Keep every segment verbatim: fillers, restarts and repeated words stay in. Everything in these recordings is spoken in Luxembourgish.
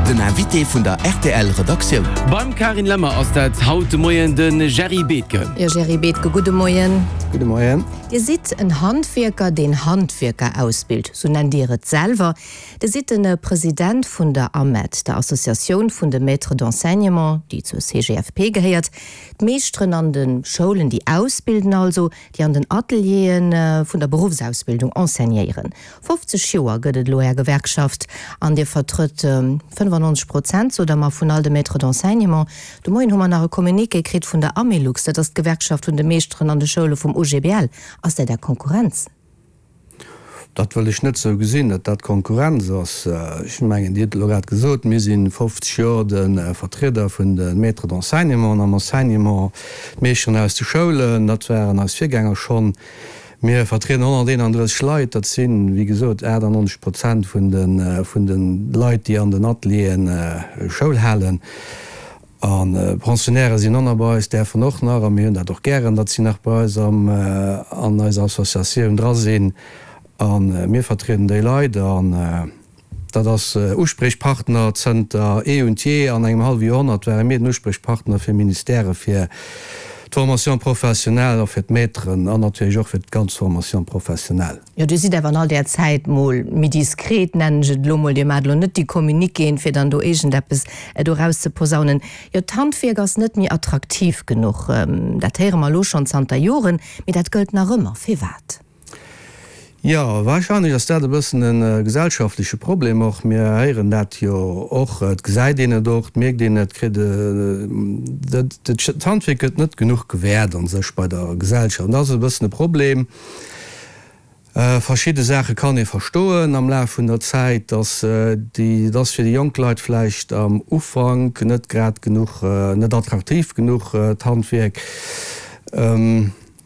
Den Invité vun der R T L Redaktioun. Beim Karin Lemmer ass dat haut de Moien de Jerry Bethke. Jo, Jerry Bethke, gudde Moien. Gudde Moien. Dir sidd en Handwierker, deen Handwierker ausbilt, sou nennt Dir et selwer. Dir sidd de President vun der AMET, der Associatioun vun de Maîtres d'enseignement, déi zur C G F P gehéiert. D'Meeschteren an de Schoulen, déi ausbilden also, déi an den Atelieren vun der Beruffsausbildung enseignéieren. fofzeg Joer gëtt et elo är Gewerkschaft an Dir vertrëtt fënnefannonzeg Prozent, sot Der mer, vun all de Maîtres d'enseignement. De Moien hu mer nach e Communiqué kritt vun der Amelux, dat ass d'Gewerkschaft vun de Meeschteren an de Schoule vum U G B L. Ass dat Är Konkurrenz? Dat wëll ech net sou gesinn, datt dat Konkurrenz ass. Ech mengen, Dir hutt elo grad gesot, mir si fofzeg Joer de Vertrieder vun de Maîtres d'enseignement am Enseignement, d'Meeschteren aus de Schoulen, dat waren eis Virgänger schonn. Mir vertrieden honnerteenandrësseg Leit, dat sinn, wéi gesot, aachtannonzeg Prozent vun de vun de Leit, déi an den Atelieren Schoul halen. A Pensionnairë sinn och nach bei eis, däerfen och nach, a mir hunn dat och gären, datt si nach bei eis am an eiser Associatioun dra sinn. A mir vertrieden déi Leit an dat ass Uspriechpartner zënter eh und je. An engem hallwe Joerhonnert ware mir den Uspriechpartner fir Ministèrë fir d'Formation professionnelle a fir d'Maîtren an natierlech och fir d'ganz Formation professionnelle. Jo, Dir sidd awer an all där Zäit mol méi diskret, nennen ech et elo mol. Dir maacht elo net déi Communiquéen, fir dann do iergendeppes do erauszeposaunen. Jo, d'Handwierk ass net méi attraktiv genuch. Dat héiere mer elo schonn zanter Joren, mee dat gëllt nach ëmmer. Firwat? Jo, warscheinlech ass dat e bëssen e gesellschaftleche Problem och. Mir héieren dat jo och, et gesäit een et och, et mierkt een et, kritt d'Handwierk gëtt net genuch gewäert an sech bei der Gesellschaft. An dat ass e bëssen e Problem. Verschidde Saache kann ee verstoen am Laf vun der Zäit, dass déi, dass fir déi jonk Leit vläicht am Ufank net grad genuch, net attraktiv genuch d'Handwierk.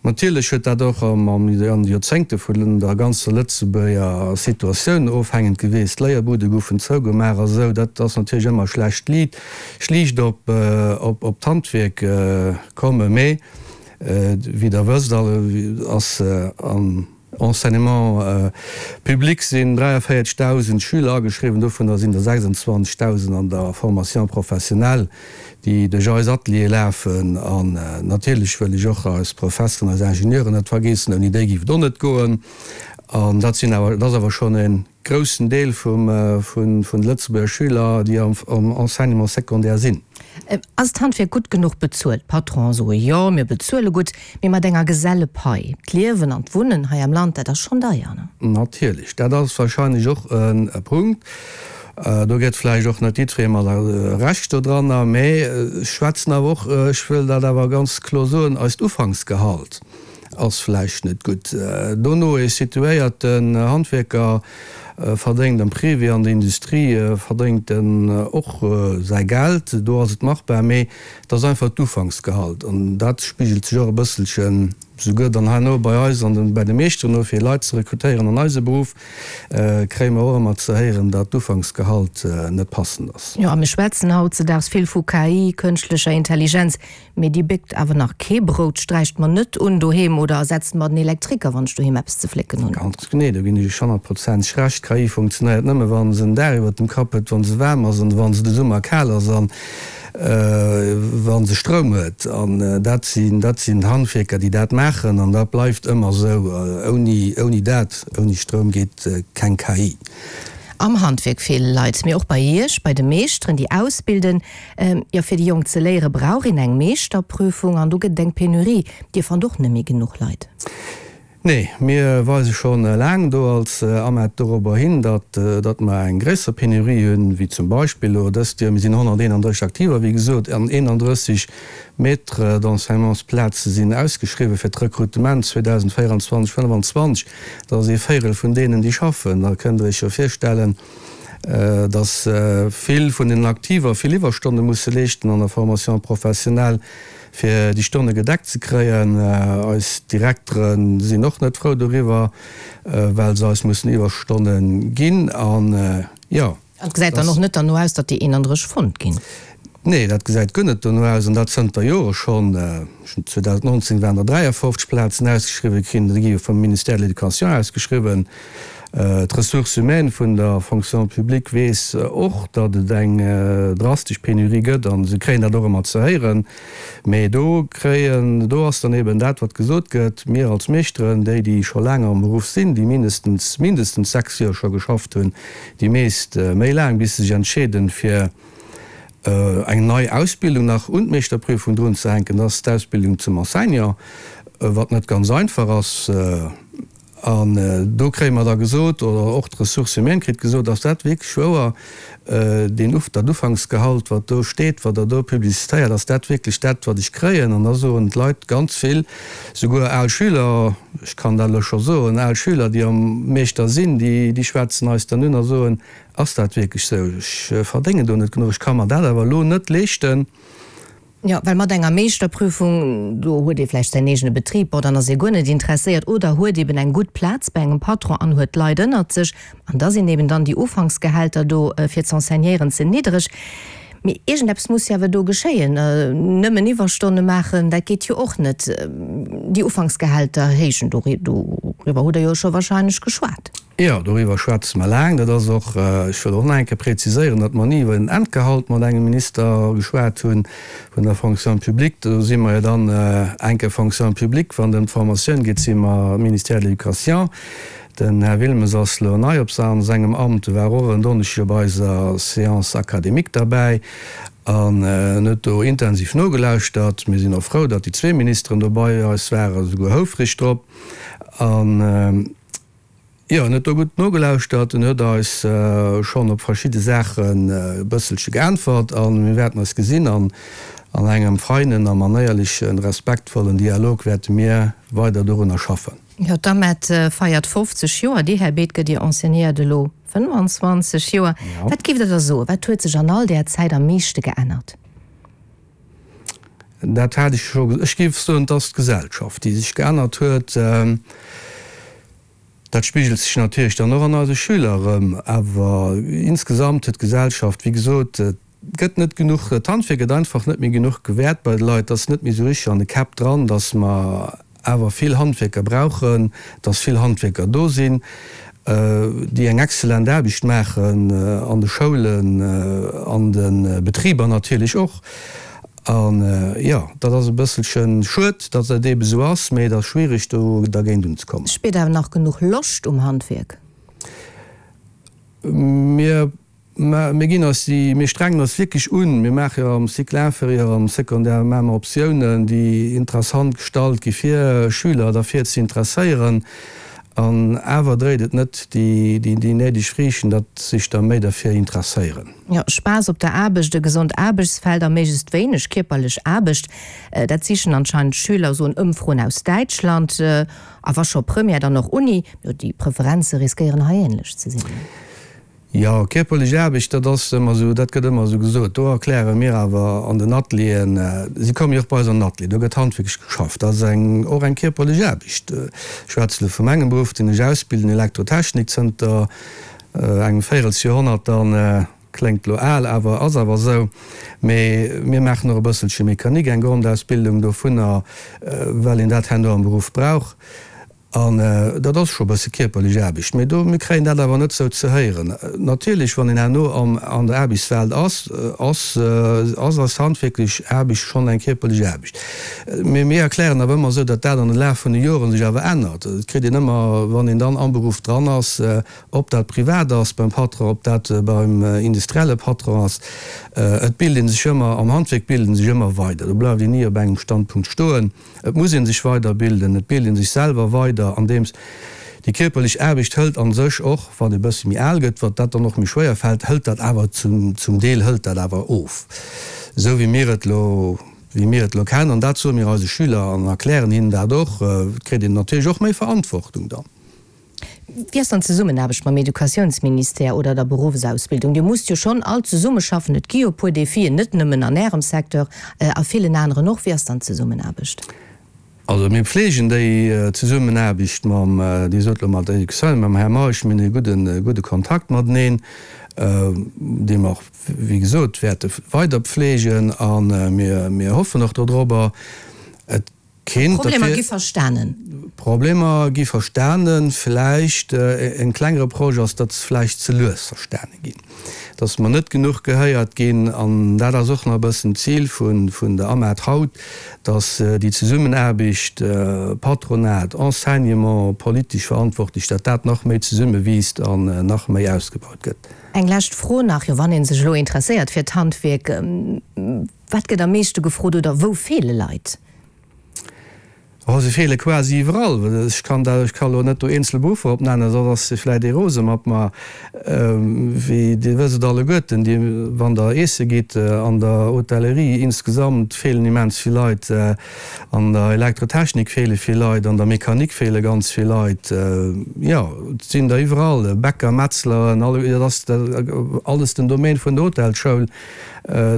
Natierlech huet dat och an de Joerzéngte vun der ganzer Lëtzebuerger Situatioun ofhängend gewiescht. D'Léierbude goufen zougemaach a sou. Dat ass natierlech ëmmer schlecht Liit, schlicht op op d'Handwierk kommen. Mee wéi Der wësst, ass am Enseignement public sinn dräiavéierzegdausend Schüler ageschriwwen, dovunner sinn der sechsundzwanzegdausend an der Formation professionnelle, déi duerch eis Ateliere lafen. An natierlech wëll ech och eis Professeren, eis Ingenieuren net vergeessen, ouni déi géif et och net goen. An dat sinn awer, dat ass awer schonn e groussen Deel vum, vun, vun de Lëtzebuerger Schüler, déi am, am Enseignement secondaire sinn. Ass d'Handwierk gutt genuch bezuelt? D'Patronen soe jo, mir bezuele gutt, mee mat enger Gesellepai. D'Liewen an d'Wunnen hei am Land, dat ass schonn deier, ne? Natierlech, dat ass warscheinlech och e Punkt. Do gëtt vläicht och net jiddweree mer Recht dodranner, mee ech schwätzen awer och, ech wëll dat awer ganz kloer soen, eist Ufanksgehalt ass vläicht net gutt. Dono e situéierten Handwierker verdéngt am Privé, an der Industrie verdéngt en och säi Geld, do ass et machbar, mee et ass einfach d'Ufanksgehalt an dat spigelt sech och e bësselchen souguer dann herno bei eis an den, bei de Meeschteren no, fir Leit ze rekrutéieren an eise Beruff, kréie mer och ëmmer ze héieren, datt d'Ufanksgehalt net passend ass. Jo, a mir schwätzen hautzedaags vill vu K I, kënschtlecher Intelligenz, mee déi béckt awer nach kee Brout, sträicht mer net un doheem oder ersetzt mer den Elektriker, wann ech doheem eppes ze flécken hunn. Ganz genee, do ginn ech Iech honnertprozenteg Recht. K I funktionéiert nëmme wa se en Daach iwwert dem Kapp huet, wa se waarm ass an wa se de Summer kal ass an wa se Stroum huet. An dat sinn, dat sinn d'Handwierker, déi dat maachen an dat bleift ëmmer esou. Ouni, ouni dat, ouni Stroum geet keng K I. Am Handwierk feele Leit, mee och bei Iech, bei de Meeschteren, déi ausbilden. Jo, fir déi Jonk ze léiere brauch een eng Meeschterprüfung an do gëtt et eng Penurie. Dir fannt och net méi genuch Leit. Nee, mir weise scho laang do als AMET dorobber hin, datt, datt mer eng gréisser Penurie hunn, wéi zum Beispill elo dëst Joer. Mir sinn honnerteenandrësseg Aktiver, wéi gesot, an eenandrësseg Maîtres d'enseignementsplaze sinn ausgeschriwwen fir d'Rekrutement zweedausendvéierundzwanzeg fënnefenzwanzeg. Dat ass ee Véirel vun deenen, déi schaffen. Da kënnt Der Iech jo virstellen, datt vill vun den Aktiver vill Iwwerstonne musse leeschten an der Formation professionnelle, fir déi Stonne gedeckt ze kréien. Eis Direktere sinn och net frou doriwwer, well se eis mussen Iwwerstonne ginn. An jo. An et gesäit dann och net derno aus, datt déi eenandrësseg fonnt ginn. Nee, dat gesäit guer net dono aus, an dat zënter Jore schonn. zweedausendnonzéng waren der dräiafofzeg Plazen ausgeschriwwen ginn, déi gi jo vum Ministère de l'Éducation ausgeschriwwen. D'Ressources humaines vun der Fonction publique weess och, datt et eng drastesch Penurie gëtt a se kréien dat och ëmmer ze héieren. Mee do kréien, do ass dann eben dat, wat gesot gëtt, mir als Meeschteren, déi, déi scho laang am Beruff sinn, déi mindestens, mindestens sechs Joer scho geschafft hunn, déi meescht méi laang, bis se sech entscheeden, fir eng nei Ausbildung nach un d'Meeschterprüfung drunzehänken, dat ass d'Ausbildung zum Enseignant, wat net ganz einfach ass. An do kréie mer da gesot, oder och d'Ressources humaines kritt gesot, ass dat wierklech wouer, deen Uf, dat Ufanksgehalt, wat do steet, wat Der do publizitéiert, ass dat wierklech dat, wat ech kréien? An da soen d'Leit ganz vill, souguer al Schüler, ech kann dat elo scho soen, al Schüler, déi am Meeschter sinn, déi, déi schwätzen eis dann un a soen, Ass dat wierklech sou? Ech verdéngen do net genuch, ech ka mer dat awer elo net leeschten. Jo, well mat enger Meeschterprüfung, do huet ee vläicht säin eegene Betrib, bon, dann ass ee guer net interesséiert, oder huet eben eng gutt Plaz bei engem Patron an huet Leit ënnert sech, an da sinn eben dann déi Ufanksgehälter do fir z'enseignéieren ze niddereg. Mee iergendeppes muss jo awer do geschéien. Nëmmen Iwwerstonne maachen, dat geet jo och net. Déi Ufanksgehälter héijen, doriwwer hutt Der jo scho wahrscheinlech geschwat. Jo, doriwwer schwätze mer laang. Dat ass och, ech wëll och nach eng Kéier präziséieren, datt mer ni iwwer en Endgehalt mat engem Minister geschwat hunn vun der Fonction publique. Do si mer jo dann eng Kéier Fonction publique, wann et ëm d'Formatioun geet, si mer Ministère de l'Éducation. Den Här Wilmes ass elo nei op sengem Amt, e war och en Donneschdeg op eiser Séance académique derbäi an en huet do intensiv nogelauschtert. Mir sinn och frou, datt déi zwee Ministeren do bei eis waren, souguer houfreg drop. An Jo, en huet do gutt nogelauschtert, en huet eis schonn op verschidde Saachen e bësselche geäntwert a mir wäerten eis gesinn an an engem feinen a manéierlechen, respektvollen Dialog wäerte mir weider dorunner schaffen. Jo, d'AMED feiert fofzeg Joer. Dir, Här Bethke, Dir enseignéiert elo fënnefanzwanzeg Joer. Wat géift Der da soen, wat huet sech an all där Zäit am meeschte geännert? Dat hat ech scho gesot. Ech géif soen, et ass d'Gesellschaft, déi sech geännert huet. Dat spigelt sech natierlech dann och an eise Schüler erëm. Awer insgesamt huet d'Gesellschaft, wéi gesot, et gëtt net genuch, d'Handwierk gëtt einfach net méi genuch gewäert bei de Leit. Et ass net méi esou richteg an de Käpp dran, datt mer awer vill Handwierker brauchen, datt vill Handwierker do sinn, déi eng exzellent Aarbecht maachen an de Schoulen, an de Betriber natierlech och. An, jo, dat ass e bësselche schued, datt dat eebe sou ass, mee et ass schwierig, do dergéint unzekommen. Spiert awer nach genuch Loscht um Handwierk? Mir, mir ginn eis déi, mir strengen eis wierklech un. Mir maache jo am Cycle inférieur, am Secondaire maache mer Optiounen, déi interessant gestalt gi fir Schüler derfir ze interesséieren. An awer dréit et net déi néideg Friichten, datt sech der méi derfir interesséieren. Jo, Spaass op der Aarbecht, e gesond Aarbechtsfeld a méiglechst wéineg kierperlech Aarbecht, dat sichen anscheinend d'Schüler, soen Ëmfroen aus Däitschland. A wa scho Première, dann och Uni. Jo, déi Preferenze riskéieren hei änlech ze sinn. Jo, kierperlech Aarbecht, dat ass ëmmer esou, dat gëtt ëmmer esou gesot. Do erkläre mir awer an den Atelieren, si komme jo och bei eis an den Atelier, do gëtt handwierklech geschafft, dat ass eng, och eng kierperlech Aarbecht. Ech schwätze elo vu mengem Beruff, deen ech ausbilden, Elektrotechnik, zënter engem Véirelsjoerhonnert dann, kléngt elo al, awer ass awer esou. Mee mir maachen och e bësselche Mécanique, eng Grondausbildung dovunner, well een dat herno am Beruff brauch. An dat ass scho e bësse kierperlech Aarbecht, mee do, mir kréien dat awer net sou ze héieren. Natierlech, wann een herno am, an der Aarbechtswelt ass, ass, ass eis handwierklech Aarbecht schonn eng kierperlech Aarbecht. Mee mir erklären awer ëmmer esou, datt dat an de Laf vun de Joren sech awer ännert. Et kritt een ëmmer, wann een dann am Beruff dran ass, ob dat privat ass beim Patron, ob dat beim industrielle Patron ass, et bilt ee sech ëmmer, am Handwierk bilt ee sech ëmmer weider. Do bleift een ni op engem Standpunkt stoen. Et muss ee sech weiderbilden, et bilt ee sech selwer weider, andeems déi kierperlech Aarbecht hëlt a sech och, wann ee bësse méi al gëtt, wat dat dann och méi schwéier fält, hëlt dat awer zum, zum Deel hëlt dat awer of, esou wéi mir et elo, wéi mir et elo kennen. An dat soe mir eise Schüler an erklären hinnen dat och. Et kritt een natierlech och méi Verantwortung dann. Wéi ass dann d'Zesummenaarbecht mam Educatiounsministère oder der Beruffsausbildung? Dir musst jo schonn all zesummeschaffen. Et gi jo e puer Defien, net nëmmen an Ärem Secteur, a villen aneren och. Wéi ass dann d'Zesummenaarbecht? Also mir pflegen déi Zesummenaarbecht mam, Dir sot elo mat der Educatioun, mam Här Meisch, mir hunn e gudden, gudde Kontakt mateneen, dee mer och, wéi gesot, wäerte weider pflegen a mir, mir hoffen och dodrobber. Et Kinnt. D'Problemer gi verstanen. D'Problemer gi verstanen. Vläicht en klenge Reproche ass, datt se vläicht ze lues verstane ginn, datt mer net genuch gehéiert ginn. An dat ass och nach e bëssen d'Zil vun der AMAD haut, datt déi Zesummenaarbecht Patronat, Enseignement, politesch Verantwortlech, datt dat nach méi zesummewiisst an nach méi ausgebaut gëtt. Eng lescht Fro nach, jo wann ee sech elo interesséiert fir d'Handwierk, wat gëtt am meeschte gefrot oder wou feele Leit? Oh, se feele quasi iwwerall. Ech kann dat, ech ka lo net do eenzel Beruffer opnennen, soss ass se vläit ee rose mat mer. Wéi Dir wësst et alleguerten, Dir, wann Der iesse gitt, an der Hotellerie insgesamt feelen immens vill Leit, an der Elektrotechnik feele vill Leit, an der Mechanik feele ganz vill Leit. Jo, et sinn der iwwerall, Bäcker, Metzleren, alle, dat ass alles den Domaine vun der Hotelschoul.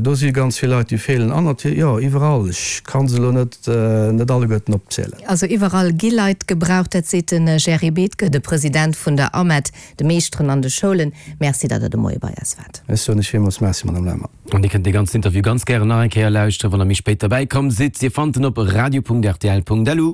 Do si ganz vill Leit, déi feelen. An natierlech, jo, iwwerall. Ech ka se elo net, net alleguerten opzielen. Also iwwerall gi Leit gebraucht, dat seet de Jerry Bethke, de President vun der AMET, de Meeschteren an de Schoulen. Merci, datt Der de Moie bei eis waart. Ech soen lech villmools Merci, Madame Lemmer. An Dir kënnt dee ganzen Interview ganz gären nach eng Kéier lauschteren, wann Der méi spéit derbäi komm sidd. Dir fannt en op radio.rtl.lu.